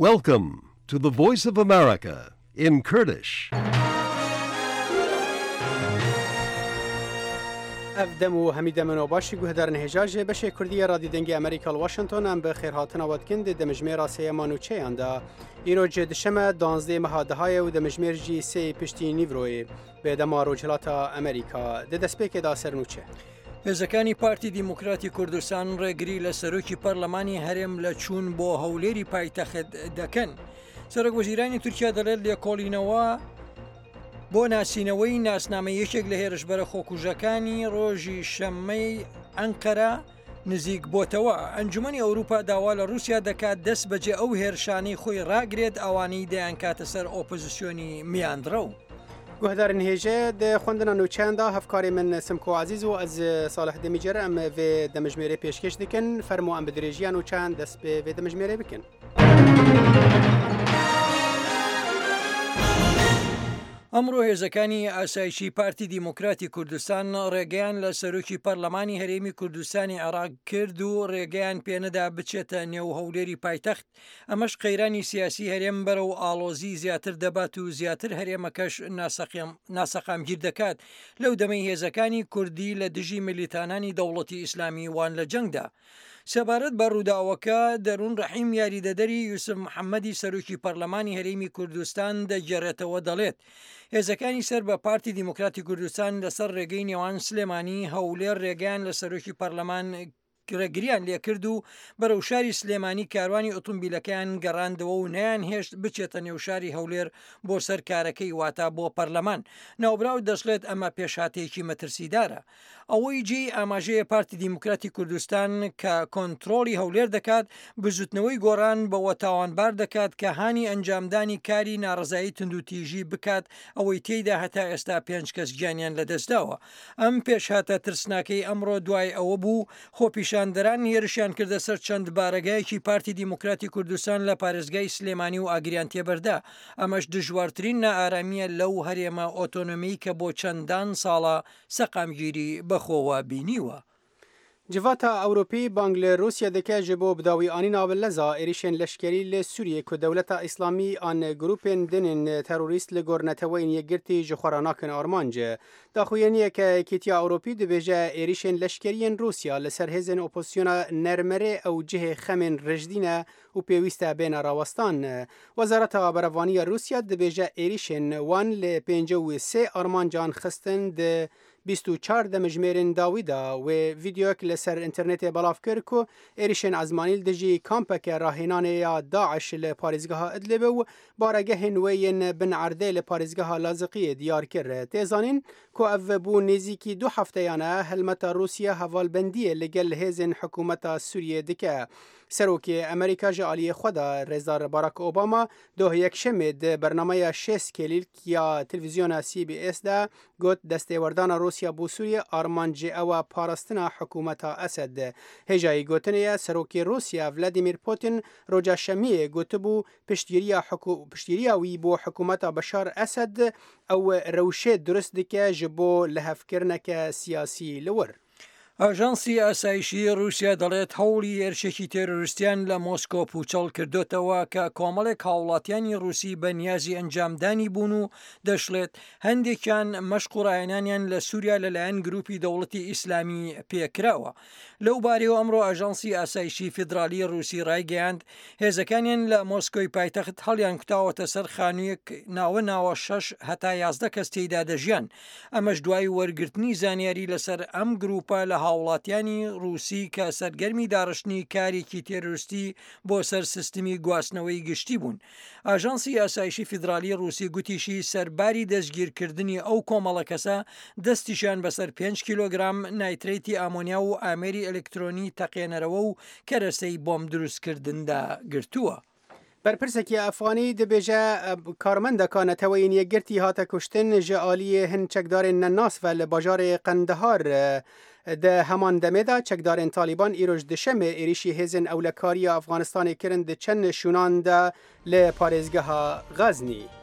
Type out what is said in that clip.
Welcome to the Voice of America in Kurdish. Ev dem û hemî demin û başî guhdarên hêja ji beşê Kurdî ya Radî Dengê Amerîka li Washington em bi xêrhatina we dikin di demijmêra sêyema nûçeyan de. Îro ji dişeme danzdeh meha dehaye û demijmêr jî sê piştî nîvroyê bi dema Rojhilata Amerîka. Di destpêkê de ser nûçe. هێزەکانی پارتی دیموکراتی کوردستان ڕێگری لە سەرۆکی پەرلەمانی هەرێم لە چوون بۆ هەولێری پایتەخت دەکەن. سەرۆک وەزیرانی تورکیا دەڵێت لێکۆڵینەوە بۆ ناسینەوەی ناسنامە یەکێک لە هێرشبەرە خۆکوژەکانی ڕۆژی شەممەی ئەنقەرە نزیک بۆتەوە. ئەنجومەنی ئەوروپا داوا لە رووسیا دەکات دەست بەجێ ئەو هێرشانەی خۆی ڕاگرێت ئەوانەی دەیانکاتە سەر ئۆپۆزیسیۆنی میانڕەو. Guhdarên hêje di xwendina nûçeyan de hevkarê min Simko Ezîz û ez Salih Demîcer em vê demijmêrê pêşkêş dikin. Fermo em bi dirêjiya nûçeyan dest bi vê demijmêrê bikin. ئەمڕۆ هێزەکانی ئاسایشی پارتی دیموکراتی کوردستان ڕێگەیان لە سەرۆکی پەرلەمانی هەرێمی کوردستانی عێراق کرد و ڕێگەیان پێنەدا بچێتە نێو هەولێری پایتەخت، ئەمەش قەیرانی سیاسی هەرێم بەرەو ئاڵۆزی زیاتر دەبات و زیاتر هەرێمەکەش ناسەقامگیر دەکات لەو دەمەی هێزەکانی کوردی لە دژی ملیتانانی دەوڵەتی ئیسلامی وان لە جەنگدا. سەبارەت بە ڕووداوەکە، دەروون ڕەحیم یاریدەدەری یوسف محەمەدی سەرۆکی پەرلەمانی هەرێمی کوردستان دەگێڕێتەوە دەڵێت، هێزەکانی سەر بە پارتی دیموکراتی کوردستان لەسەر ڕێگەی نێوان سلێمانی، هەولێر ڕێگەیان لە سەرۆکی پەرلەمان ڕێگریان لێکرد و بەرەو شاری سلێمانی کاروانی ئۆتۆمبیلەکەیان گەڕاندەوە و نەیانهێشت بچێتە نێو شاری هەولێر بۆ سەر کارەکەی واتە بۆ پەرلەمان. ناوبراو دەشڵێت ئەمە پێشهاتێکی مەترسیدارە. ئەوەی جێی ئاماژەیە پارتی دیموکراتی کوردستان کە کۆنترۆڵی هەولێر دەکات، بزوتنەوەی گۆڕان بەوە تاوانبار دەکات کە هانی ئەنجامدانی کاری ناڕەزایی توندوتیژی بکات ئەوەی تێیدا هەتا ئێستا پێنج کەس گیانیان لەدەستداوە. ئەم پێشهاتە ترسناکەی ئەمڕۆ دوای ئەوە بوو خۆپیشاندەران هێرشیان کردە سەر چەند بارەگایەکی پارتی دیموکراتی کوردستان لە پارێزگای سلێمانی و ئاگریان تێبەردا، ئەمەش دژوارترین نائارامییە لەو هەرێمە ئۆتۆنۆمی کە بۆ چەندان ساڵە سەقامگیری بەخۆوە بینیوە. Civata Ewropî bang li Rûsya dike ji bo bidawîanîna bi leza êrîşên leşkerî li Sûriyê ku Dewleta Îslamî an grûpên din ên terorîst li gor Neteweyên Yekgirtî ji xwe re nakin armanc. Daxuyaniyeke Yekîtiya Ewropî dibêje êrîşên leşkerî yên Rûsya li ser hêzên opozisyona nermerê ew cihê xemên rijdî ne û pêwîst e bêne rawestan. Wezareta Berevaniya Rûsya dibêje êrîşên wan li 53 armancan xistin di 24 demijmêrên dawî de wê vîdeoyek li ser înternetê belav kir ku êrîşên ezmanî li dijî kampeke rahênanê ya DAIŞ li parêzgeha Idlibê û baregehên wê yên bin erdê li parêzgeha Laziqiyê diyar kir. Tê zanîn ku ev bû nêzîkî du hefteyan e helmeta Rûsya hevalbendiyê li gel hêzên hikûmeta Sûriyê dike. Serokê Amerîka ji aliyê xwe de Rêzdar Barack Obama doh Yekşemê di bernameya şêst kêlîlk ya televîzyona CBS de got destêwerdana Rûsya bo Sûriyê armanc jê ew e parastina hikûmeta Esed. Hêjayî gotinê ye Serokê Rûsya Vladimir Putin roja Şemiyê gotibû piştgiriya piştgiriya wî bo hikûmeta Beşar Esed ew rewşê durist dike ji bo lihevkirineke siyasî li wir. ئاژانسی ئاسایشی ڕووسیا دەڵێت هەوڵی هێرشێکی تێرۆریستیان لە مۆسکۆ پووچەڵ کردۆتەوە کە کۆمەڵێک هاوڵاتیانی ڕووسی بە نیازی ئەنجامدانی بوون و دەشڵێت هەندێکیان مەشق و ڕاهێنانیان لە سووریا لەلایەن گروپی دەوڵەتی ئیسلامی پێکراوە. لەو بارەیەوە ئەمڕۆ ئاژانسی ئاسایشی فیدراڵی ڕووسی ڕایگەیاند هێزەکانیان لە مۆسکۆی پایتەخت هەڵیانکوتاوەتە سەر خانوویەک ناوە ناوە شەش هەتا 11 کەس تێیدا دەژیان ئەمەش دوای وەرگرتنی زانیاری لەسەر ئەم گروپە لە هاوڵاتیانی ڕووسی کە سەرگەرمی داڕشتنی کارێکی تێرۆریستی بۆ سەر سیستمی گواستنەوەی گشتی بوون. ئاژانسی ئاسایشی فیدرالی ڕووسی گوتیشی سەرباری دەستگیرکردنی ئەو کۆمەڵە کەسە دەستیشیان بەسەر پێنج کیلۆگرام نایترەیتی ئامۆنیا و ئامێری ئەلکترۆنی تەقێنەرەوە و کەرەسەی بۆمب دروستکردندا گرتووە. بەرپرسێکی ئەفغانی دەبێژە کارمەندەکە نەتەوەیên یەکگرتî hate kuştin ji aliyê hin çekdarên nenas ve li bajarê Qendehar di heman demê de çekdarên Talîban îro ji duşemê êrîşî hêzên ewlekariya Efxanistanê kirin di çend şûnan de li parêzgeha Xeznî.